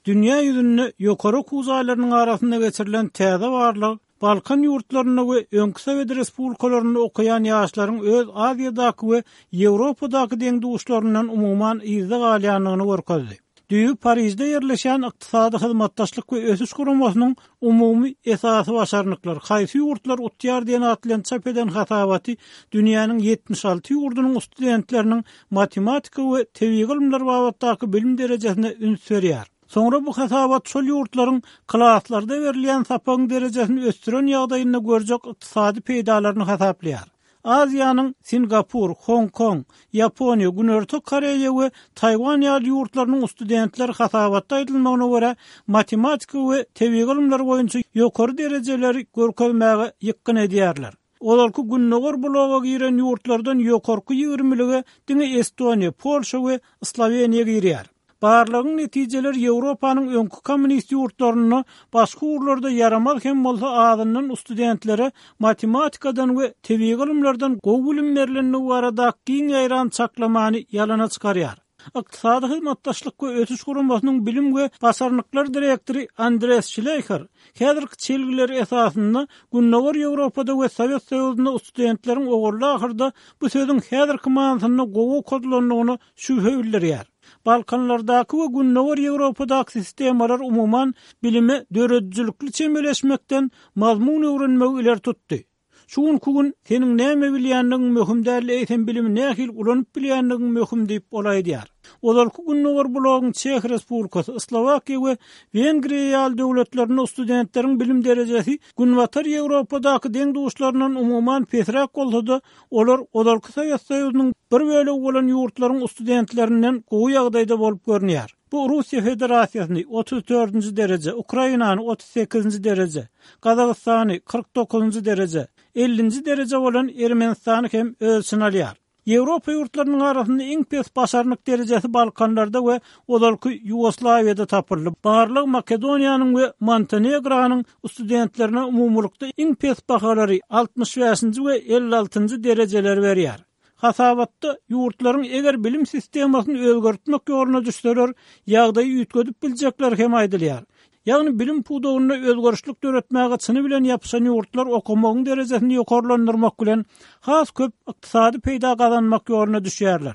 Dünýä ýüzünde ýokary okuw jaýlarynyň arasynda geçirilen täze barlag Balkan ýurtlarynda we öňki sowet respublikalarynda okaýan ýaşlaryň öz Aziýadaky we Ýewropadaky deň-duşlaryndan umuman yzda galýandygyny görkezdi. Düýbi Parižde ýerleşýän Ykdysady hyzmatdaşlyk we ösüş guramasynyň Umumy esasy başarnyklar, haýsy ýurtlar utýar diýen at bilen çap eden hasabaty dünýäniň 76 ýurdunyň studentleriniň matematika we tebigy ylymlar babatdaky bilim derejesine üns berýär. Soňra bu hasabat şol ýurtlaryň klaslarda berilýän sapagyň derejesini ösdüren ýagdaýynda görjek ykdysady peýdalaryny hasaplaýar. Aziýanyň Singapur, Hong-Kong, Ýaponiýa, Günorta Koreýa we Taýwan ýaly ýurtlarynyň studentleri hasabatda aýdylmagyna görä, matematika we tebigy ylymlar boýunça ýokary derejeleri görkezmäge ýykgyn edýärler. Ozalky Gündogar bloga giren ýurtlardan ýokarky ýigrimilige diňe Estoniýa, Polşa we Sloweniýa girýär. Barlagyň netijeleri Ýewropanyň öňki kommunist ýurtlarynda başga ugurlarda ýaramaz hem bolsa azyndan studentlere matematikadan we tebigy ylymlardan gowy bilim berlendigi baradaky giň ýaýran çaklamany ýalana çykarýar. Ykdysady hyzmatdaşlyk we ösüş guramasynyň bilim we başarnyklar direktory Andreas Şleýher häzirki çelgiler esasynda Gündogar Ýewropada we Sowet Soýuzynda studentleriň ogurly-ahyrda bu sözüň häzirki manysynda gowy okadylandygyna şübhe bildirýär. Balkanlardaky we Gündogar Ýewropadaky sistemalar umuman bilime döredijilikli çemeleşmekden mazmun öwrenmegi ileri tutdy. Şu günki gün seniň näme bilýändigiň möhüm däl, eýsem bilimi nähili ulanyp bilýändigiň möhüm diýip, ol aýdýar. Ozalky Gündogar blogyň Çeh Respublikasy, Slowakiýa we Wengriýa ýaly döwletlerinde studentleriň bilim derejesi Günbatar Ýewropadaky deň-duşlaryndan umuman pesräk bolsa-da, Olar ozalky Sowet Soýuzynyň bir bölegi bolan ýurtlaryň studentlerinden gowy ýagdaýda bolup görünýär. Bu Russiýa Federasiýasyny, 34-nji dereje, Ukrainany, 38-nji dereje, Gazagystany, 49-njy dereje, 50-nji dereje bolan Ermenistany hem öz içine alýar. Ýewropa ýurtlarynyň arasynda iň pes başarnyk derejesi Balkanlarda we ozalky Ýugoslawiýada tapyldy. Barlag Makedoniýanyň we Montenegronyň studentlerine umumylykda iň pes bahalary, 65-nji we 56-njy derejeleri berýär. Hasabatda ýurtlaryň eger bilim sistemasyny özgertmek ýoluna düşseler, ýagdaýy üýtgedip biljekleri hem aýdylýar. Ýagny bilim pudagynda özgerişlik döretmäge çyny bilen ýapyşan ýurtlar okamagyň derejesini ýokarlandyrmak bilen has köp ykdysady peýda gazanmak ýoluna düşýärler.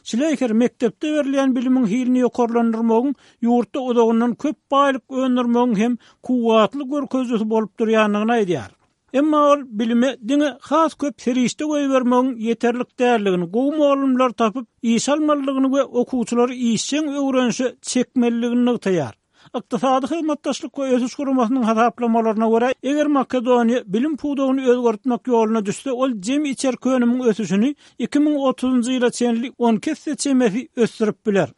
Şleýher mekdepde berilýän bilimiň hilini ýokarlandyrmagyň ýurtda uzagyndan köp baýlyk öndürmegiň hem kuwwatly görkezijisi bolup durýandygyny aýdýar. Emma ol bilime diňe has köp serişde goýbermegiň ýeterlik däldigini, gowy mugallymlary tapyp, işe almalydygyny we okuwçylary işjeň öwrenişe çekmelidigini nygtaýar. Ykdysady hyzmatdaşlyk we ösüş guramasynyň hasaplamalaryna görä, eger Makedoniýa bilim pudagyny özgertmek ýoluna düşse, ol jemi içerki önümiň ösüşini 2030-njy ýyla çenli 12 esse çemesi ösdürip biler.